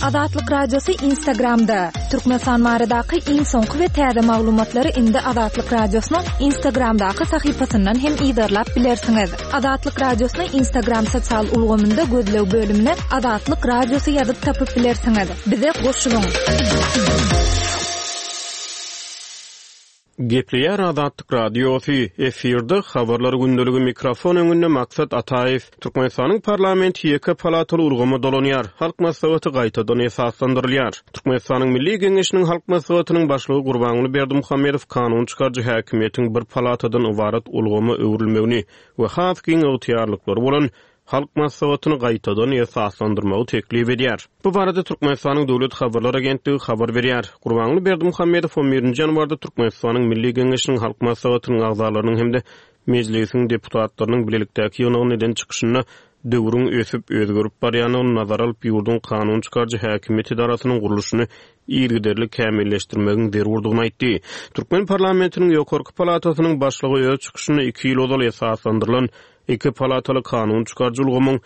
Azatlyk Radiosy Instagramda! Türkmenistan baradaky iň soňky we täze maglumatlary indi Azatlyk Radiosynyň Instagramdaky sahypasyndan hem yzarlap bilersiňiz. Azatlyk Radiosyny Instagram sosial ulgamynda gözleg bölümine Azatlyk Radiosy ýazyp tapyp bilersiňiz. Bize goşulyň! Gepleýär Azatlyk Radiosy, efirde Habarlar gündeligi mikrofon öňünde Maksat Ataýew. Türkmenistanyň parlamenti ýeke palataly ulgama dolanýar, Halk Maslahaty gaýtadan esaslandyrylýar. Türkmenistanyň Milli Geňeşiniň Halk Maslahatynyň Başlygy Gurbanguly Berdimuhamedow kanun çykaryjy häkimiýetiň bir palatadan ybarat ulgama öwrülmegini we has giň ygtyýarlyklary bolan Halk Maslahatyny gaýtadan esaslandyrmagy teklip edýär. Bu barada Türkmenistanyň Döwlet habarlar agentligi habar berýär. Gurbanguly Berdimuhamedow on birinji ýanwarda Türkmenistanyň Milli Geňeşiniň Halk Maslahatynyň agzalarynyň hem-de Mejlisiň deputatlarynyň bilelikdäki ýygnagynda eden çykyşynda döwrüň ösüp, özgerip barýandygyny nazara alyp, ýurduň kanun çykaryjy häkimiýet edarasynyň gurluşyny yzygiderli kämilleşdirmegiň zerurdygyny aýtdy. Türkmen parlamentiniň ýokarky palatasynyň başlygy öz çykyşynda iki ýyl ozal esaslandyrylan Iki palataly kanun çykaryjy ulgamyň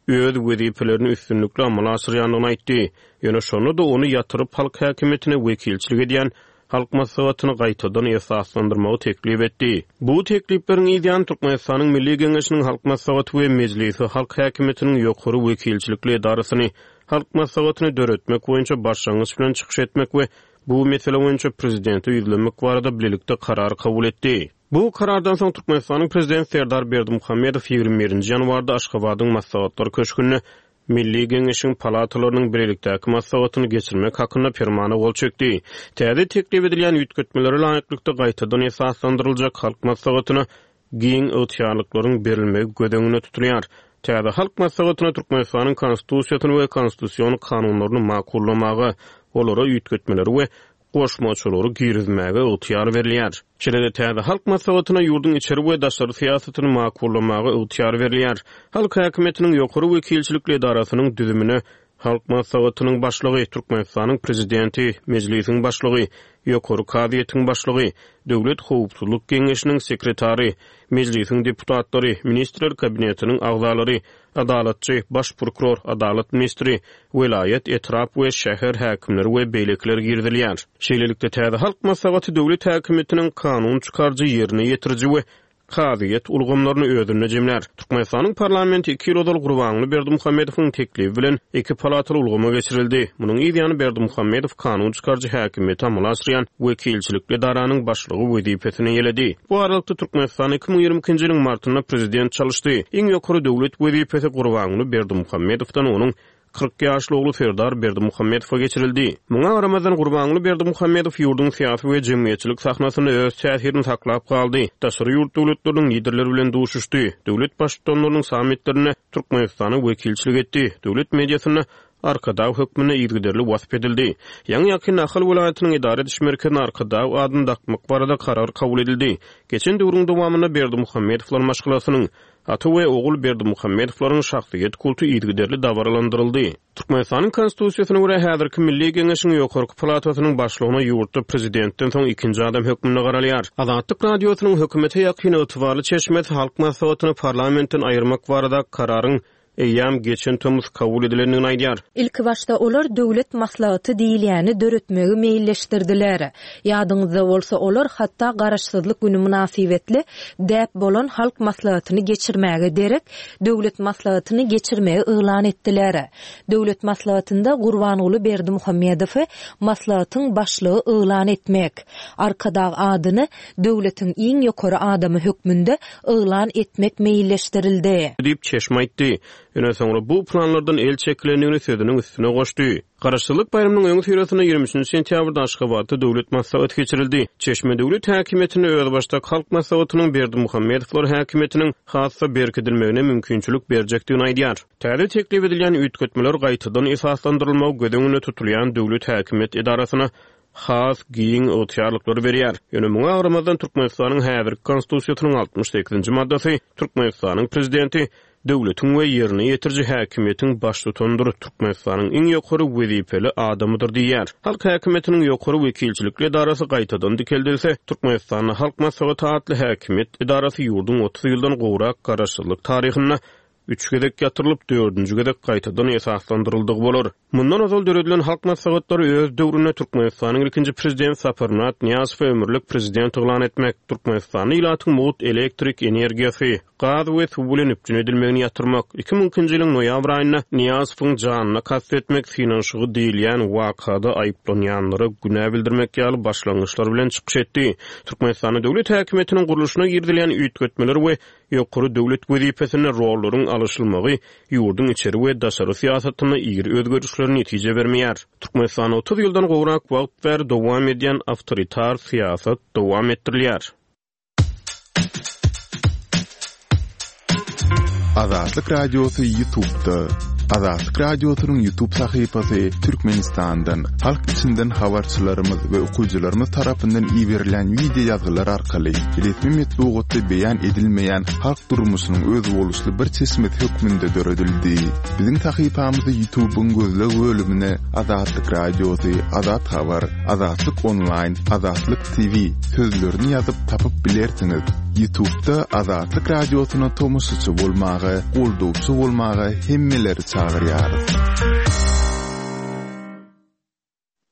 öz wezipelerini üstünlikli amala aşyrýandygyny aýtdy. Ýöne şonda-da ony ýatyryp, halk häkimiýetine wekilçilik edýän Halk Maslahatyny gaýtadan esaslandyrmagy teklip etdi. Bu teklipleriň yz ýany Türkmenistanyň Milli Geňeşiniň Halk Maslahaty we Mejlisi halk häkimiýetiniň ýokary wekilçilikli edarasyny, Halk Maslahatyny döretmek boýunça başlangyç bilen çykyş etmek we bu mesele boýunça Prezidente ýüzlenmek barada bilelikde karar kabul etdi. Bu karardan soň Türkmenistanyň Prezidenti Serdar Berdimuhamedow 21 nji ýanwarda Aşgabadyň Maslahatlar köşgünde Milli Geňeşiň palatalarynyň bilelikdäki maslahatyny geçirmek hakynda Permana gol çekdi. Täze teklip edilýän üýtgetmelere laýyklykda gaýtadan esaslandyryljak Halk Maslahatyna giň ygtyýarlyklaryň berilmegi göz öňünde tutulýar. Täze Halk Maslahatyna Türkmenistanyň Konstitusiýasyny we konstitusion kanunlaryny makullamaga, olara üýtgetmeleri we goşmaçalary girizmäge ygtyýar berilýär. Şeýle-de täze Halk Maslahatyna ýurduň içeri we daşary syýasatyny makullamaga ygtyýar berilýär. Halk häkimiýetiniň ýokary wekilçilikli edarasynyň düzümine Halk Maslahatynyň Başlygy, Türkmenistanyň Prezidenti, Mejlisiň Başlygy, Ýokary kazyýetiň Başlygy, Döwlet howpsuzlyk geňeşiniň sekretary, Mejlisiň deputatlary, Ministrler Kabinetiniň agzalary, Adalatçy, Baş prokuror, Adalat ministri, welaýat, etrap we şäher häkimleri we beýlekiler girizilýär. Şeýlelikde, täze Halk Maslahaty döwlet häkimiýetiniň kanun çykaryjy, ýerine ýetiriji we kazyýet ulgamlaryny özünde jemlär. Türkmenistanyň parlamenti iki ýyl ozal Gurbanguly Berdimuhamedowyň teklibi bilen iki palataly ulgama geçirildi. Munuň yz ýany Berdimuhamedow kanun çykaryjy häkimiýeti amala aşyrýan wekilçilikli edaranyň başlygy wezipesini eýeledi. Bu aralykda, Türkmenistan 2022-nji ýylyň martynda prezident çalyşdy. Iň ýokary döwlet wezipesi Gurbanguly Berdimuhamedowdan onuň 40 ýaşly ogly Serdar Berdimuhamedowa geçirildi. Muňa garamazdan, Gurbanguly Berdimuhamedow ýurduň syýasy we jemgyýetçilik sahnasynda öz täsirini saklap galdy, daşary ýurt döwletleriniň liderleri bilen duşuşdy, döwlet Baştutanlarynyň sammitlerinde Türkmenistana wekilçilik etdi, döwlet mediasynda Arkadag hökmünde yzygiderli wasp edildi. Ýaňy-ýakynda Ahal welaýatynyň edara ediş merkezine Arkadag adyny dakmak barada karar kabul edildi. Geçen döwrüň dowamynda Berdimuhamedowlar maşgalasynyň, ata we ogul Berdimuhamedowlaryň şahsyýet kulty yzygiderli dabaralandyryldy. Türkmenistanyň Konstitusiýasyna görä, häzirki Milli Geňeşiň ýokarky palatasynyň başlygyna ýurtda prezidentden soň ikinji adam hökmünde garalýar. Azatlyk Radiosynyň hökümete ýakyn ygtybarly çeşmesi Halk Maslahatyny parlamentden aýyrmak baradaky kararyň eýýäm geçen tomus kabul edilendigini aýdýar. Ilkibaşda olar Döwlet maslahaty diýilýäni döretmegi meýilleşdirdiler. Ýadyňyzda bolsa, olar hatda Garaşsyzlyk güni mynasybetli däp bolan Halk maslahatyny geçirmäge derek, Döwlet maslahatyny geçirmegi yglan etdiler. Döwlet maslahatynda Gurbanguly Berdimuhamedowy maslahatyň başlygy yglan etmek, Arkadag adyny döwletiň iň ýokary adamy hökmünde yglan etmek meýilleşdirildi. Diýip, çeşme aýtdy. Ýöne soňra bu planlardan el çekilendigini sözüniň üstüne goşdy. Garaşsyzlyk baýramynyň öňüsyrasynda 23 nji sentýabrda Aşgabatda Döwlet maslahaty geçirildi. Çeşme döwlet häkimiýetinde özbaşdak Halk Maslahatynyň Berdimuhamedowlar häkimiýetiniň has-da berkidilmegine mümkinçilik berjekdigini aýdýar. Täze teklip edilýän üýtgetmeler gaýtadan esaslandyrylmagy göz öňünde tutulýan döwlet häkimiýet edarasyna has giň ygtyýarlyklary berýär. Ýöne muňa garamazdan Türkmenistanyň häzirki Konstitusiýasynyň 68-nji maddasy Türkmenistanyň Prezidenti döwletiň we ýerine ýetiriji häkimiýetiň baştutanydyr, Türkmenistanyň iň ýokary wezipeli adamydyr diýýär. Halk häkimiýetiniň ýokary wekilçilikli edarasy gaýtadan dikeldilse, Türkmenistanda Halk Maslahaty atly häkimiýet edarasy ýurduň 30 ýyldan gowrak garaşsyzlyk taryhynda. Üç gezek ýatyrylyp, dördünji gezek gaýtadan esaslandyryldygy bolar. Mundan ozal döredilen Halk Maslahatlary öz döwründe Türkmenistanyň ilkinji Prezidenti Saparmyrat Nyýazowy ömürlik Prezident yglan etmek, Türkmenistanda ilatyň mugt elektrik energiýasy, gaz we suw bilen üpjün edilmegini ýatyrmak, 2002-nji ýylyň noýabr aýynda Nyýazowyň janyna kast etmek synanyşygy diýilýän wakada aýyplanýanlara günä bildirmek ýaly başlangyçlar bilen çykyş etdi. Türkmenistanda döwlet häkimiýetiniň gurluşyna girizilýän üýtgetmeler we Ýokary döwlet wezipesinde rollaryň alyşylmagy ýurduň içeri we daşary syýasatynda iri özgerişlere netije bermeýär. Türkmenistanda 30 ýyldan gowrak wagt bäri dowam edýän awtoritar syýasat dowam etdirilýär. Azatlyk Radiosy Ýutubda. Azatlyk Radiosynyň Ýutub sahypasy Türkmenistandan, halk içinden habarçylarymyz we okyjylarymyz tarapyndan iberilen wideo ýazgylar arkaly resmi metbugatda beýan edilmeýän halk durmuşynyň özboluşly bir çeşmesi hökmünde döredildi. Biziň sahypamyzy Ýutubyň gözleg bölümine Azatlyk Radiosy, Azat Habar, Azatlyk Onlaýn, Azatlyk TV sözlerini ýazyp tapyp bilersiňiz. Ýutubda Azatlyk Radiosyna tomaşaçy bolmaga, goldawçy bolmaga hemmeleri çagyrýarys.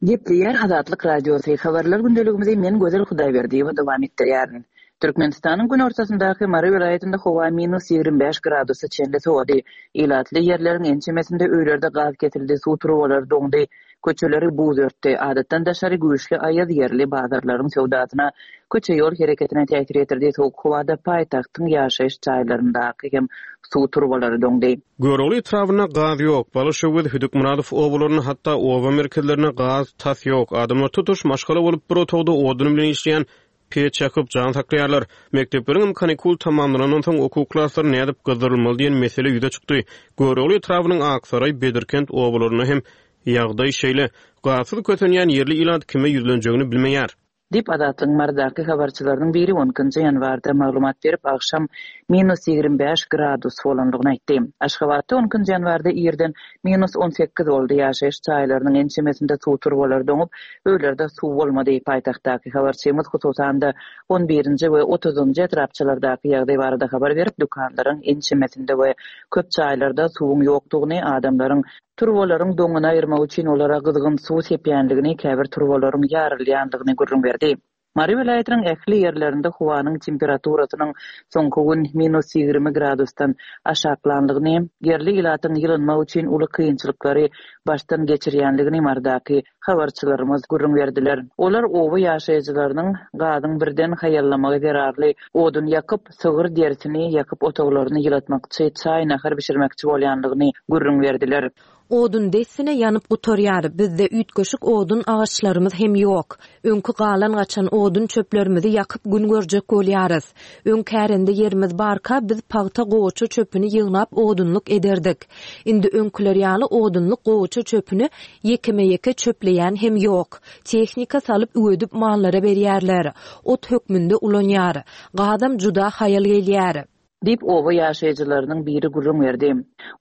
Gepleýär Azatlyk Radiosy, Habarlar gündeligimizi men Gözel Hudaýberdiýewa dowam etdirýärin. Türkmenistanyň günortasyndaky Mary welaýatynda howa minus 25 gradusa çenli sowady. Ilatly ýerleriň ençemesinde öýlerde gaz kesildi, suw turbalary doňdy, köçeleri buz örtdi. Adatdan daşary güýçli aýaz ýerli bazarlaryň söwdasyna, köçe-ýol hereketine täsir ýetirdi, sowuk howada paýtagtyň ýaşaýyş jaýlaryndaky hem suw turbalary doňdy. Görogly etrabynda gaz ýok, Balyşöwez, Hüdükmyradow obalarynda, hatda oba merkezlerinde gaz tas ýok. Adamlar tutuş maşgala bolup bir otagda odun bilen işleýän peç ýakyp, jan saklaýarlar. Mekdepleriňem kanikul tamamlanandan soň okuw klaslary nädip gyzdyrylmaly diýen mesele ýüze çykdy. Görogly etrabynyň Aksaraý, Bedirkent obalarynda hem ýagdaý şeýle. Gazsyz kösenýän ýerli ilat kime ýüzlenjegini bilmeýär. Diýip, Azatlygyň Marydaky habarçylarynyň biri on ikinji ýanwarda maglumat berip, agşam minus 25 gradus bolandygyny aýtdy. Aşgabatda on ikinji ýanwarda irden minus 18 boldy, ýaşaýyş jaýlarynyň ençemesinde suw turbalary doňup, öýlerde suw bolmady. Paýtagtdaky habarçymyz, hususan-da, on birinji we otuzynjy etrapçalardaky ýagdaý barada habar berip, dükanlaryň ençemesinde we köp jaýlarda suwuň ýokdugyny, adamlaryň Turbalaryň doňuny aýyrmak üçin olara gyzgyn suw sepýändigini, käbir turbalaryň ýarylýandygyny gürrüň berdi. Mary welaýatynyň ähli ýerlerinde howanyň temperaturasynyň soňky gün minus 20 gradusdan aşaklandygyny, ýerli ilatyň ýylynmak üçin uly kynçylyklary başdan geçirýändigini Marydaky habarçylarymyz gürrüň berdiler. Olar oba ýaşaýjylarynyň gazyň birden haýallamagy zerarly odun ýakyp, sygyr derisini ýakyp otaglaryny ýylatmakçy, çaý-nahar bişirmekçi bolýandygyny gürrüň berdiler. Odun dessine ýanyp gutarýar, bizde üýtgeşik odun agaçlarymyz hem ýok. Öňki galan-gaçan odun çöplerimizi ýakyp gün görjek bolýarys. Öň kärende ýerimiz barka biz pagta gowaça çöpüni ýygnap odunlyk ederdik. Indi öňküler ýaly odunlyk gowaça çöpüni ýekeme-ýeke çöpleýän hem ýok. Tehnika salyp üwedip mallara berýärler. Ot hökmünde ulanýar. Gazam juda haýal gelýär. Diýip, oba ýaşaýjylarynyň biri gürrüň berdi.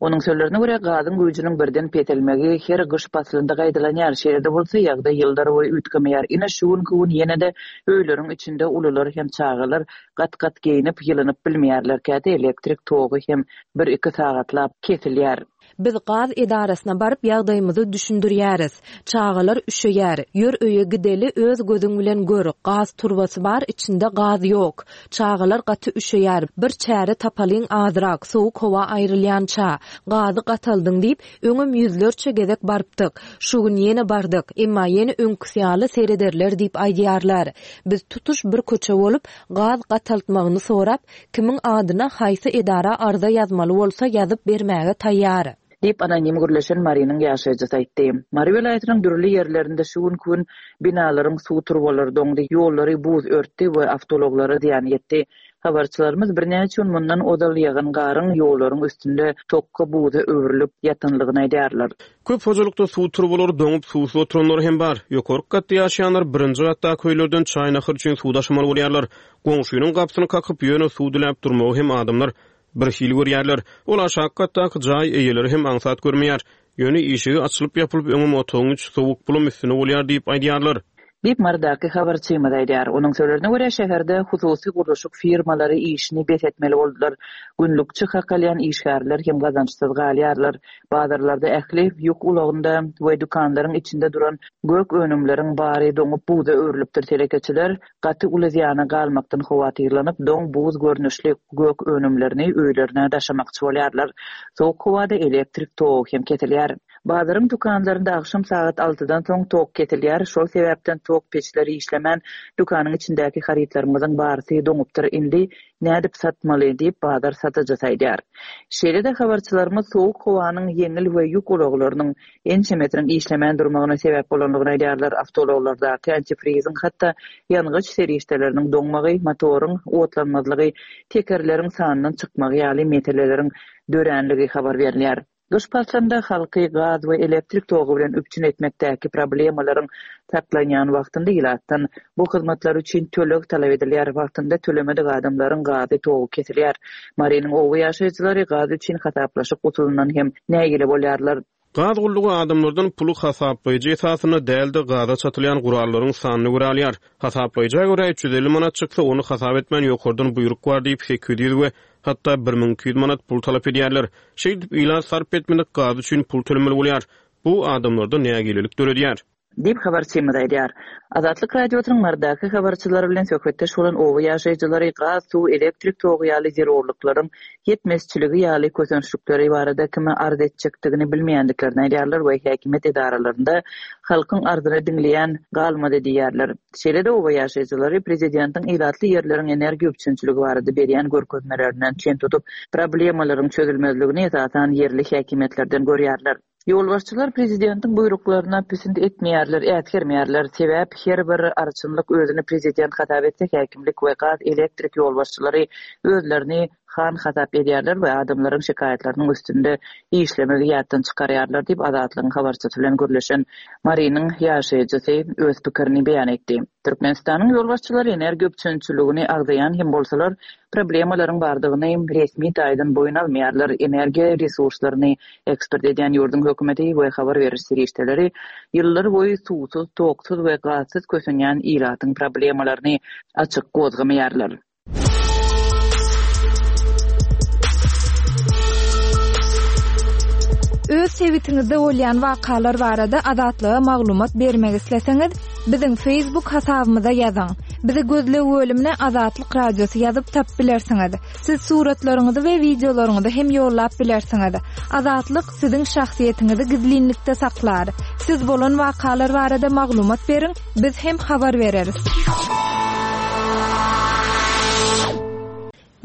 Onuň sözlerine görä, gazyň güýjüniň birden peselmegi her gyş paslynda gaýtalanýar. Şeýle-de bolsa, ýagdaý ýyllarboýy üýtgemeýär. Ine, şu günki gün ýene-de öýleriň içinde ulular hem çagalar gat-gat geýnip, ýylynyp bilmeýärler. Käte elektrik togy hem bir-iki sagatlap kesilýär. Biz gaz edarasyna baryp ýagdaýymyzy düşündirýäris. Çagalar üşeýär. Ýör öýe gideli öz gözüň bilen gör, gaz turbasy bar içinde gaz ýok. Çagalar gaty üşeýär. Bir çäre tapalyň azrak, sowuk howa aýrylýança. Gazy gataldyň diýip, öňem ýüzlerçe gezek barypdyk. Şu gün ýene bardyk. Emma ýene öňküsi ýaly serederler diýip aýdýarlar. Biz tutuş bir köçe bolup, gaz gataltmagyny sorap, Kimiň adyna haýsy edara arza ýazmaly bolsa ýazyp bermäge taýýar. Diýip, anonim gürleşen Marynyň ýaşaýjysy aýtdy. Mary welaýatynyň dürli ýerlerinde şu günki gün binalaryň suw turbalary doňdy, ýollary buz örtdi we awtoulaglara zyýan ýetdi. Habarçylarymyz birnäçe gün mundan ozal ýagan garyň ýollaryň üstünde tokga buza öwrülip ýatanlygyny aýdýarlar. Köp hojalykda suw turbalary doňup, suwsuz oturanlar hem bar. Ýokarky gatda ýaşaýanlar birinji gatdaky öýlerden çaý-nahar üçin suw daşamaly bolýarlar. Goňşynyň gapysyny kakyp, ýöne suw diläp durmagy hem adamlar birhili görýärler. Ol aşaky gatdaky jaý eýeleri hem aňsat görmeýär. Ýöne işigi açylyp-ýapylyp öňem otagyň içi sowuk, bulam üstüne bolýar diýip aýdýarlar. Diýip, Marydaky habarçymyz aýdýar. Onuň sözlerine görä, şäherde hususy gurluşyk firmalary işini bes etmeli boldular. Günlükçi hak alýan işgärler hem gazançsyz galýarlar. Bazarlarda ähli ýük ulagynda we dükanlaryň içinde duran gök önümleriň bary doňup buza öwrülipdir. Telekeçiler gaty uly zyýana galmakdan howatyrlanyp, doň buz görnüşli gök önümlerini öýlerine daşamakçy bolýarlar. Sowuk howada elektrik togy hem kesilýär. Bazaryň dükanlarynda agşam sagat altydan soň tok kesilýär, şol sebäpden tok peçleri işlemän, dükanyň içindäki harytlarymyzyň barysy doňupdyr, indi nädip satmaly diýip, bazar satyjysy aýdýar. Şeýle-de habarçylarymyz sowuk howanyň ýeňil we ýük ulaglarynyň ençemesiniň işlemän durmagyna sebäp bolandygyny aýdýarlar, awtoulaglardaky antifriziň, hatda ýangyç serişdeleriniň doňmagy, motoryň otlanmazlygy, tekerleriň sandan çykmagy ýaly meseleleriň döränligi habar berilýär. Gyş paslynda halky gaz we elektrik togy bilen üpjün etmekdäki problemalaryň saklanýan wagtynda ilatdan bu hyzmatlar üçin töleg talap edilýär, wagtynda tölemedik adamlaryň gazy, togy kesilýär. Marynyň oba ýaşaýjylary gaz üçin hasaplaşyk usulyndan hem nägile bolýarlar. Gaz gullugy adamlardan puly hasaplaýjy esasynda däl-de, gaza çatylýan gurallaryň sanyna görä alýar. Hasaplaýja görä 350 manat çyksa, ony hasap etmän ýokardan buýruk bar diýip 800 we hatda 1200 manat pul talap edýärler. Şeýdip, ilat sarp etmedik gazy üçin pul tölemeli bolýar. Bu adamlarda nägilelik döredýär. Diýip, habarçymyz aýdýar. Azatlyk Radiosynyň Marydaky habarçylary bilen söhbetdeş bolan oba ýaşaýjylary gaz, suw, elektrik togy ýaly zerurlyklaryň ýetmezçiligi ýaly kösençlikleri barada kime arz etjekdigini bilmeýändiklerini aýdýarlar we häkimiýet edaralarynda halkyň arzyny diňleýän galmady diýýärler. Şeýle-de oba ýaşaýjylary prezidentiň ilatly ýerleriň energiýa üpjünçiligi barada berýän görkezmelerinden çen tutup, problemalaryň çözülmezligini esasan ýerli häkimiýetlerden görýärler. Ýolbaşçylar prezidentiň buýruklaryna pisint etmeýärler, äsgermeýärler. Sebäp her bir arçynlyk özüni prezident hasap etse, häkimlik we gaz-elektrik ýolbaşçylary özlerini han hasap edýärler we adamlaryň şikaýatlarynyň üstünde işlemegi ýatdan çykarýarlar diýip, Azatlygyň habarçysy bilen gürleşen Marynyň ýaşaýjysy öz pikirini beýan etdi. Türkmenistanyň ýolbaşçylary energiýa üpjünçiligini agzaýan hem bolsalar, problemalaryň bardygyny resmi taýdan boýun almaýarlar. Energiýa resurslaryny eksport edýän ýurduň hökümeti we habar beriş serişdeleri ýyllar boýy suwsuz, toksuz we gazsyz kösenýän ilatyň problemalaryny açyk gozgamaýarlar. Öz sebitiňizde bolýan wakalar barada Azatlyga maglumat bermek isleseňiz, biziň Facebook hasabymyza ýazyň. Bizi gözleg bölümine Azatlyk Radiosy ýazyp tapyp bilersiňiz. Siz suratlaryňyzy we wideolaryňyzy hem ýollap bilersiňiz. Azatlyk siziň şahsyýetiňizi gizlinlikde saklar. Siz bolan wakalar barada maglumat beriň, Biz hem habar bereris.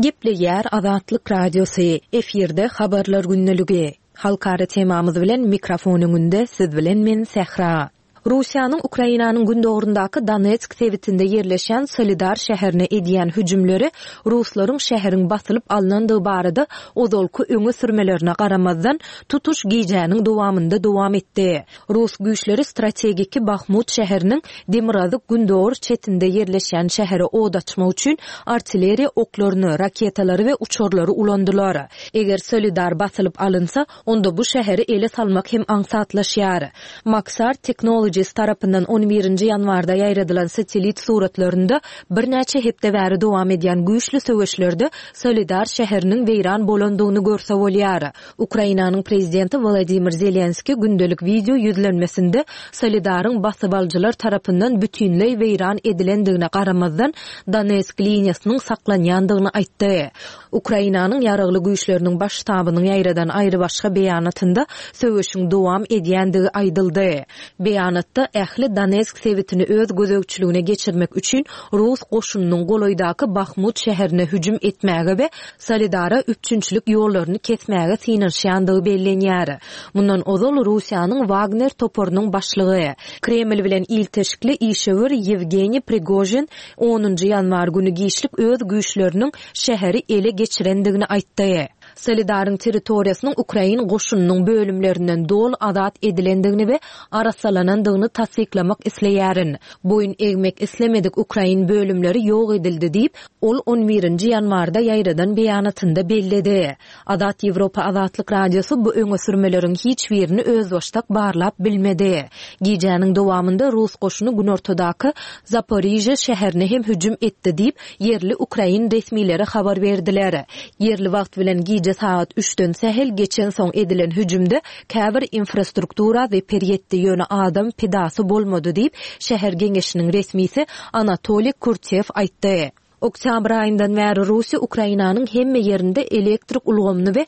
Gepleýär Azatlyk Radiosy, efirde Habarlar gündeligi. Halkara temamyz bilen mikrofon öňünde siz bilen men Sähra. Russiýanyň Ukrainanyň gündogaryndaky Donetsk sebitinde ýerleşýän Solidar şäherine edýän hüjümleri ruslaryň şäheriň basylyp alnandygy barada ozalky öňe sürmelerine garamazdan, tutuş gijäniň dowamynda dowam etdi. Rus güýçleri strategiki Bahmut şäheriniň demirgazyk-gündogar çetinde ýerleşýän şähere od açmak üçin artilleriýa oklaryny, raketalary we uçarlary ulandylar. Eger Solidar basylyp alynsa, onda bu şäheri ele salmak hem aňsatlaşýar. Maxar Technologies tarapyndan on birinji ýanwarda ýaýradylan satellit suratlarynda birnäçe hepde bäri dowam edýän güýçli söweşlerde Solidar şäheriniň weýran bolandygyny görse bolýar. Ukrainanyň prezidenti Wolodymyr Zelenskiý gündelik wideo ýüzlenmesinde Soledaryň basybalyjylar tarapyndan bütinleý weýran edilendigine garamazdan, Donetsk liniýasynyň saklanýandygyny aýtdy. Ukrainanyň Ýaragly Güýçleriniň Baş ştabynyň ýaýradan aýrybaşga beýanatynda söweşiň dowam edýändigi aýdyldy. Beýanatda ähli Donetsk sebitini öz gözegçiligine geçirmek üçin rus goşunynyň golaýdaky Bahmut şäherine hüjüm etmäge we Soledara üpjünçilik ýollaryny kesmäge synanyşýandygy bellenýär. Mundan ozal Russiýanyň Wagner toparynyň başlygy, Kreml bilen ilteşikli işewür Ýewgeniý Prigožin onunjy ýanwar güni giçlik öz güýçleriniň şäheri ele geçirendigini aýtdy. Soledaryň territoriýasynyň ukrain goşunynyň bölümlerinden doly azat edilendigini we arassalanandygyny tassyklamak isleýärin. Boýun egmek islemedik ukrain bölümleri ýok edildi diýip, ol on birinji ýanwarda ýaýradan beýanatynda belledi. Azat Ýewropa Azatlyk Radiosy bu öňe sürmeleriň hiç birini özbaşdak barlap bilmedi. Gijäniň dowamynda rus goşuny günortadaky Zaporižýa şäherine hem hüjüm etdi diýip, ýerli ukrain resmileri habar berdiler. Ýerli wagt bilen gije sagat üçden sähel geçensoň edilen hüjümde käbir infrastruktura zeper ýetdi, ýöne adam pidasy bolmady diýip, şäher geňeşiniň resmisi Anatoliý Kurtew aýtdy. Oktýabr aýyndan bäri Russiýa Ukrainanyň hemme ýerinde elektrik ulgamyny we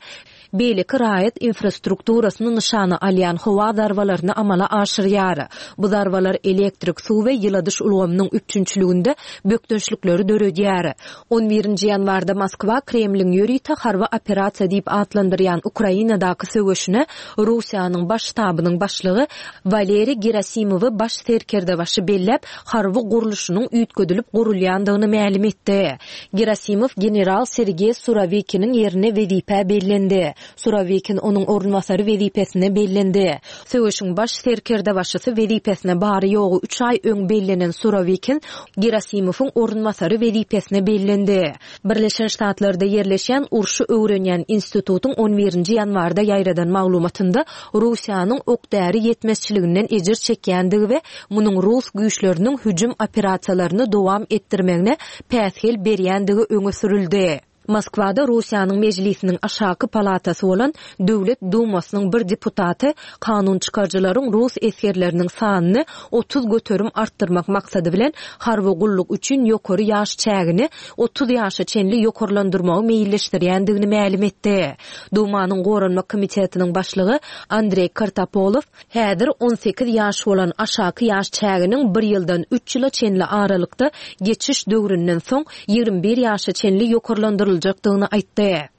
beýleki raýat infrastrukturasyny nyşana alýan howa zarbalaryny amala aşyrýar. Bu zarbalar elektrik, suw we ýyladyş ulgamynyň üpjünçiliginde bökdençlikleri döredýär. On birinji ýanwarda Moskwa Kremliň ýörite harby operasiýa diýip atlandyrýan Ukrainadaky söweşine Russiýanyň Baş ştabynyň başlygy Waleriý Gerasimowy baş serkerdebaşy belläp, harby gurluşynyň üýtgedilip gurulýandygyny mälim etdi. Gerasimow general Sergeý Surawikiniň ýerine wezipä bellendi. Surawikin onuň orunbasary wezipesine bellendi. Söweşiň baş serkerdebaşysy wezipesine bary-ýogy üç aý öň bellenen Surawikin Gerasimowyň orunbasary wezipesine bellendi. Birleşen Ştatlarda ýerleşýän urşy öwrenýän institutyň on birinji ýanwarda ýaýradan maglumatynda Russiýanyň ok-däri ýetmezçiliginden ejir çekýändigi we munuň rus güýçleriniň hüjüm operasiýalaryny dowam etdirmegine päsgel berýändigi öňe sürüldi. Moskwada Russiýanyň Mejlisiniň aşaky palatasy bolan Döwlet Dumasynyň bir deputaty kanun çykaryjylaryň rus esgerleriniň sanyny 30% artdyrmak maksady bilen harby gulluk üçin ýokary ýaş çägini 30 ýaşa çenli ýokarlandyrmagy meýilleşdirýändigini mälim etdi. Dumanyň Goranmak komitetiniň başlygy Andreý Kartapolow häzir 18 ýaş bolan aşaky ýaş çäginiň bir ýyldan üç ýyla çenli aralykda geçiş döwründen soň 21 ýaşa çenli ýokarlandyryljakdygyny aýtdy.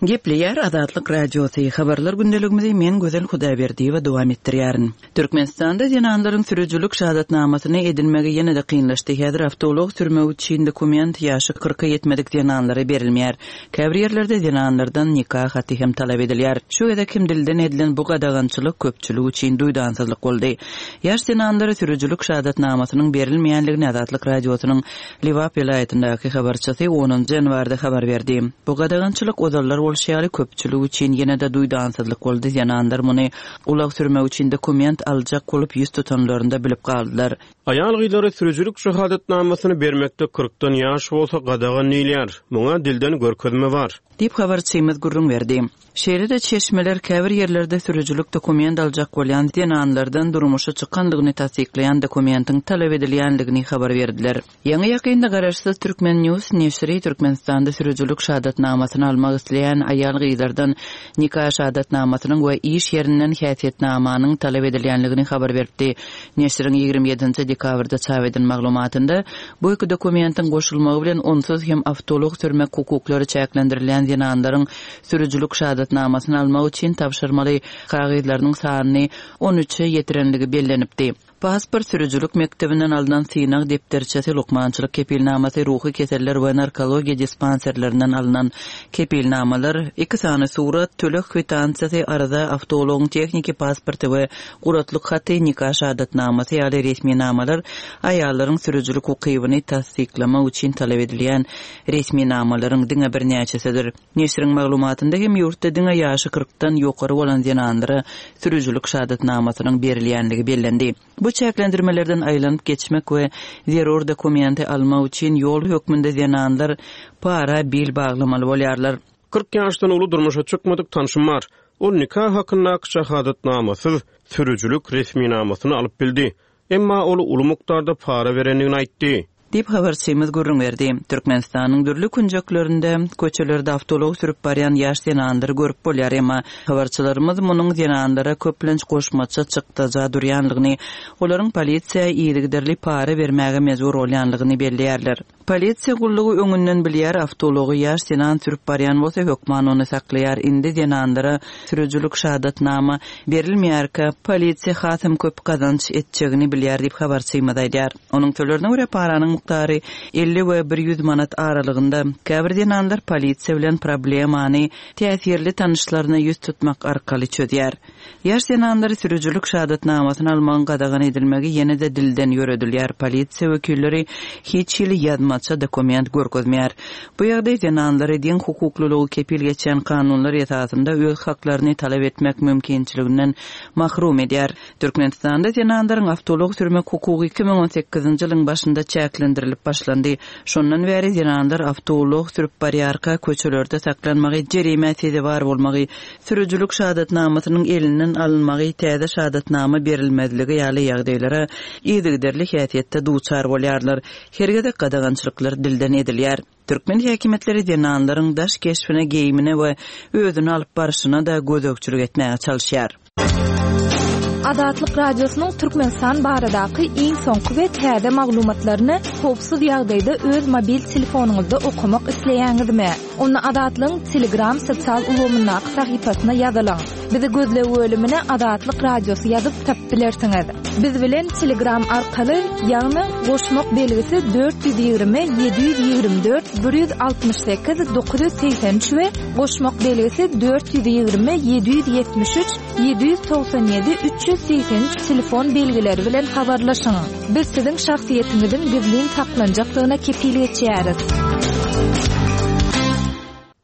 Gepleýär Azatlyk Radiosy, Habarlar gündeligimizi men Gözel Hudaýberdiýewa dowam etdirýärin. Türkmenistanda zenanlaryň sürüjilik şahadatnamasyny edinmegi ýene-de kynlaşdy. Häzir awtoulag sürmek üçin dokument ýaşy kyrka ýetmedik zenanlara berilmeýär. Käbir ýerlerde zenanlardan nika haty hem talap edilýär. Şu gezek hem dilden edilen bu gadagançylyk köpçülik üçin duýdansyzlyk boldy. Ýaş zenanlara sürüjilik şahadatnamasynyň berilmeýänligini Azatlyk Radiosynyň Lebap welaýatyndaky habarçysy onunjy ýanwarda habar berdi. Bu gadagançylyk ozallar bolşy ýaly köpçülik üçin ýene-de duýdansyzlyk boldy, zenanlar muny ulag sürmek üçin dokument aljak bolup ýüz tutanlarynda bilip galdylar. Aýal-gyzlara sürüjilik şahadatnamasyny bermekde kyrkdan ýaş bolsa gadagan diýilýär. Muňa dilden görkezme bar. Diýip, habarçymyz gürrüň berdi. Şeýle-de çeşmeler käbir ýerlerde sürüjilik dokument aljak bolýan zenanlardan durmuşa çykandygyny tassyklaýan dokumentiň talap edilýändigini habar berdiler. Ýaňy-ýakynda garaşsyz Turkmen News neşiri Türkmenistanda sürüjilik şahadatnamasyny almak isleýän aýal-gyzlardan nika şahadatnamasynyň we iş ýerinden häsiýetnamanyň talap edilýändigini habar beripdi. Neşiriň 27 dekabrda çap eden maglumatynda bu iki dokumentiň goşulmagy bilen onsuz hem awtoulag sürmek hukuklary çäklendirilýän zenanlaryň sürüjilik şahadatnamasyny almak üçin tabşyrmaly kagyzlarynyň sanyny on üçe ýetirenligi bellenipdi. Pasport, sürüjilik mekdebinden alnan synag depderçesi, lukmançylyk kepilnamasy, ruhy keseller we narkologiýa dispanserlerinden alnan kepilnamalar, iki sany surat, töleg kwitansiýasy, arza, awtoulagyň tehniki pasporty we guratlyk haty, nika şahadatnamasy ýaly resminamalar aýallaryň sürüjilik ukybyny tassyklamak üçin talap edilýän resminamalaryň diňe birnäçesidir. Neşiriň maglumatynda hem ýurtda diňe ýaşy kyrkdan ýokary bolan zenanlara sürüjilik şahadatnamasynyň berilýänligi bellendi. Bu çäklendirmelerden aýlanyp geçmek we zerur dokumenti almak üçin ýol hökmünde zenanlar para bil baglamaly bolýarlar. 40 ýaşdan uly durmuşa çykmadyk tanşym bar. Ol nika hakyndaky şahadatnamasyz sürüjilik resminamasyny alyp bildi. Emma ol uly mukdarda para berendigini aýtdy. Diýip, habarçymyz gürrüň berdi. Türkmenistanyň dürli künjeklerinde, köçelerde awtoulag sürüp barýan ýaş zenanlary görüp bolýar, emma habarçylarymyz munuň zenanlara köplenç goşmaça çykdaja durýanlygyny, olaryň polisiýa yzygiderli para bermäge mejbur bolýanlygyny belleýärler. Polisiýa gullugy öňünden bilýär, awtoulagy ýaş zenan sürüp barýan bolsa, hökman ony saklaýar. Indi zenanlara sürüjilik şahadatnama berilmeýärkä, polisiýa hasam köp gazanç etjegini bilýär diýip, habarçymyz aýdýar. Onuň sözlerine görä, paranyň. mukdary 50 we 100 manat aralygynda. Käbir zenanlar polisiýa bilen problemany täsirli tanyşlaryna ýüz tutmak arkaly çözýär. Ýaş zenanlary sürüjilik şahadatnamasyny almagyň gadagan edilmegi ýene-de dilden ýöredilýär, polisiýa wekilleri hiç hili ýazmaça dokument görkezmeýär. Bu ýagdaý zenanlary deň hukuklylygy kepil geçýän kanunlar esasynda öz haklaryny talap etmek mümkinçiliginden mahrum edýär. Türkmenistanda zenanlaryň awtoulag sürmek hukugy 2018-nji ýylyň başynda çäklendirilip başlandy. Şondan bäri zenanlar awtoulag sürüp barýarka köçelerde saklanmagy, jerimä sezewar bolmagy, sürüjilik şahadatnamasynyň elinden alynmagy, täze şahadatnama berilmezligi ýaly ýagdaýlara yzygiderli häsiýetde duçar bolýarlar. Her gezek gadagançylyklar dilden edilýär. Türkmen häkimiýetleri zenanlaryň daş keşbine, geýimine we özüni alyp barşyna-da gözegçilik etmäge çalyşýar. Azatlyk Radiosynyň Türkmenistan baradaky iň soňky we täze maglumatlaryny howpsuz ýagdaýda öz mobil telefonyňyzda okamak isleýäňizmi? Onda Azatlygyň Telegram sosial ulgamyndaky sahypasyna ýazylyň. Bizi gözleg bölümine Azatlyk Radiosy ýazyp tapyp bilersiňiz. Biz bilen Telegram arkaly, ýagny goşmak belgisi 420 724 168 983 we goşmak belgisi 420 773 797 383 telefon belgileri bilen habarlaşyň. Biz siziň şahsyýetiňiziň gizlin saklanjakdygyna kepil geçýäris.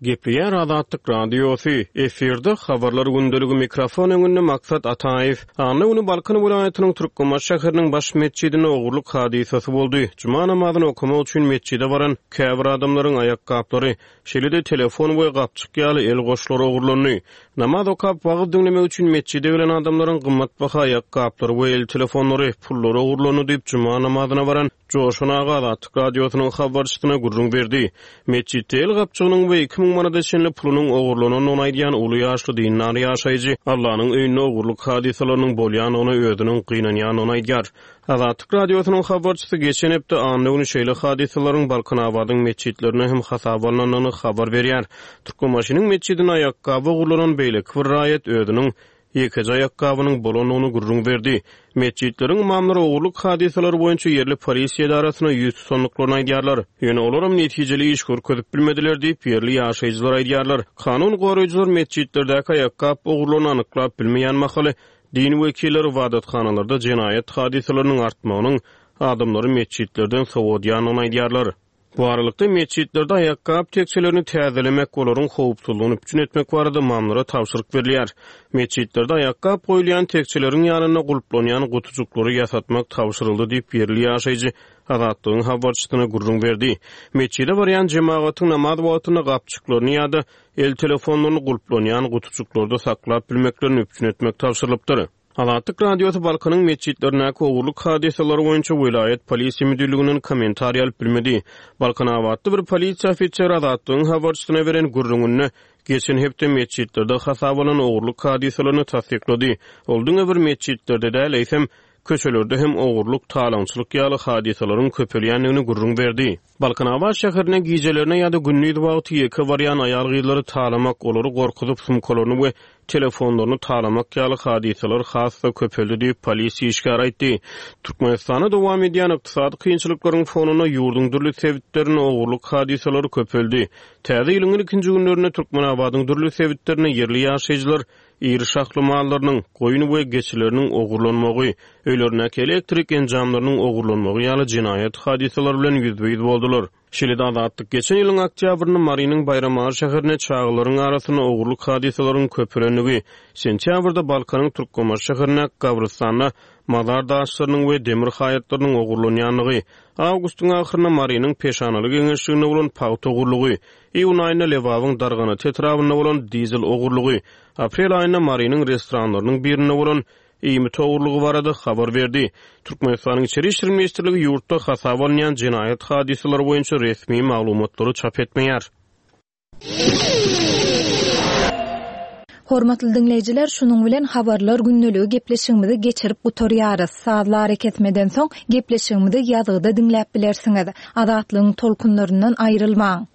Gepleýär Azatlyk Radiosy, efirde Habarlar gündeligi mikrofon öňünde Maksat Ataýew. Anna güni Balkan welaýatynyň Türkmenbaşy şäheriniň baş metjidinde ogurlyk hadysasy boldy. Juma namazyny okamak üçin metjide baran käbir adamlaryň aýakgaplary, şeýle-de telefon we gapjyk ýaly el goşlary ogurlandy. Namaz okap, wagyz diňlemek üçin metjide gelen adamlaryň gymmatbaha aýakgaplary we el telefonlary, pullary ogurlandy diýip, juma namazyna baran Joşgun aga Azatlyk Radiosynyň habarçysyna gürrüň berdi. Metjitde el gapjygynyň we 2000 manada çenli pulunyň ogurlanandygyny aýdýan uly ýaşly dindar ýaşaýjy Allanyň öýünde ogurlyk hadysalarynyň bolýandygyna özüniň gynanýandygyny aýdýar. Azatlyk Radiosynyň habarçysy geçen hepde anna güni şeýle hadysalaryň Balkanabadyň metjitlerinde hem hasaba alnandygyny habar berýär. Türkmenbaşynyň metjidinde aýakgaby ogurlanan beýleki bir raýat özüniň ýekeje aýakgabynyň bolandygyny gürrüň berdi. Metjitleriň ymamlary ogurlyk hadysalary boýunça ýerli polisiýa edarasyna ýüz tutandyklaryny aýdýarlar. Ýöne olaram netijeli iş görkezip bilmediler diýip, ýerli ýaşaýjylar aýdýarlar. Kanun goraýjylar metjitlerdäki aýakgap ogurlaryny anyklap bilmeýän mahaly, din wekilleri ybadathanalarda jenaýat hadysalarynyň artmagynyň adamlary metjitlerden sowadýandygyny aýdýarlar. Bu aralykda, metjitlerde aýakgap tekjelerini täzelemek, olaryň howpsuzlygyny üpjün etmek barada ymamlara tabşyryk berilýär. Metjitlerde aýakgap goýulýan tekjeleriň ýanynda gulplanýan gutujyklary ýasatmak tabşyryldy diýip, ýerli ýaşaýjy Azatlygyň habarçysyna gürrüň berdi. Metjide barýan jemagatyň namaz wagtynda gapjyklaryny ýa-da el telefonlaryny gulplanýan gutujyklarda saklap bilmeklerini üpjün etmek tabşyrylypdyr. Azatlyk Radiosy Balkanyň metjitlerindäki ogurlyk hadysalary boýunça welaýat polisiýa müdirliginden kommentariý alyp bilmedi. Balkanabatly bir polisiýa ofiseri Azatlygyň habarçysyna beren gürrüňinde geçen hepde metjitlerde hasaba alnan ogurlyk hadysalaryny tassyklady. Ol diňe bir metjitlerde däl, eýsem, köçelerde hem ogurlyk, talaňçylyk ýaly hadysalaryň köpelýändigini gürrüň berdi. Balkanabat şäherine gijelerine ýa-da gündiz wagty ýeke barýan aýal-gyzlary talamak, olary gorkuzyp, sumkalaryny we telefonlaryny talamak ýaly hadysalar has-da köpeldi diýip, polisiýa işgäri aýtdy. Türkmenistanda dowam edýän ykdysady kynçylyklaryň fonunda ýurduň dürli sebitlerinde ogurlyk hadysalary köpeldi. Täze ýylyň ilkinji günlerinde Türkmenabadyň dürli sebitlerinde ýerli ýaşaýjylar iri şahly mallarynyň, goýun we geçileriniň ogurlanmagy, öýlerindäki elektrik enjamlarynyň ogurlanmagy ýaly jenaýat hadysalary bilen ýüzbe-ýüz boldular. Şeýle-de Azatlyk geçen ýylyň oktýabrynda Marynyň Baýramaly şäherinde çagalaryň arasynda ogurlyk hadysalaryň köpelendigi, sentýabrda Balkanyň Türkmenbaşy şäherindäki gabrystanda mazar daşlarynyň we demir haýatlarynyň ogurlanýandygy, awgustyň ahyrynda Marynyň Peşanaly geňeşliginde bolan pagta ogurlygy, Iýun aýynda Lebabyň Darganata etrabynda bolan dizel ogurlygy, aprel aýynda Marynyň restoranlarynyň birinde bolan iýmit ogurlygy barada habar berdi. Türkmenistanyň Içeri işler ministrligi ýurtda hasaba alynýan jenaýat hadysalary boýunça resmi maglumatlary çap etmeýär. Hormatly diňleýjiler, şunuň bilen Habarlar gündeligi gepleşigimizi geçirip gutarýarys. Sazly arakesmeden soň, gepleşigimizi ýazgyda diňläp bilersiňiz. Azatlygyň tolkunlaryndan aýrylmaň!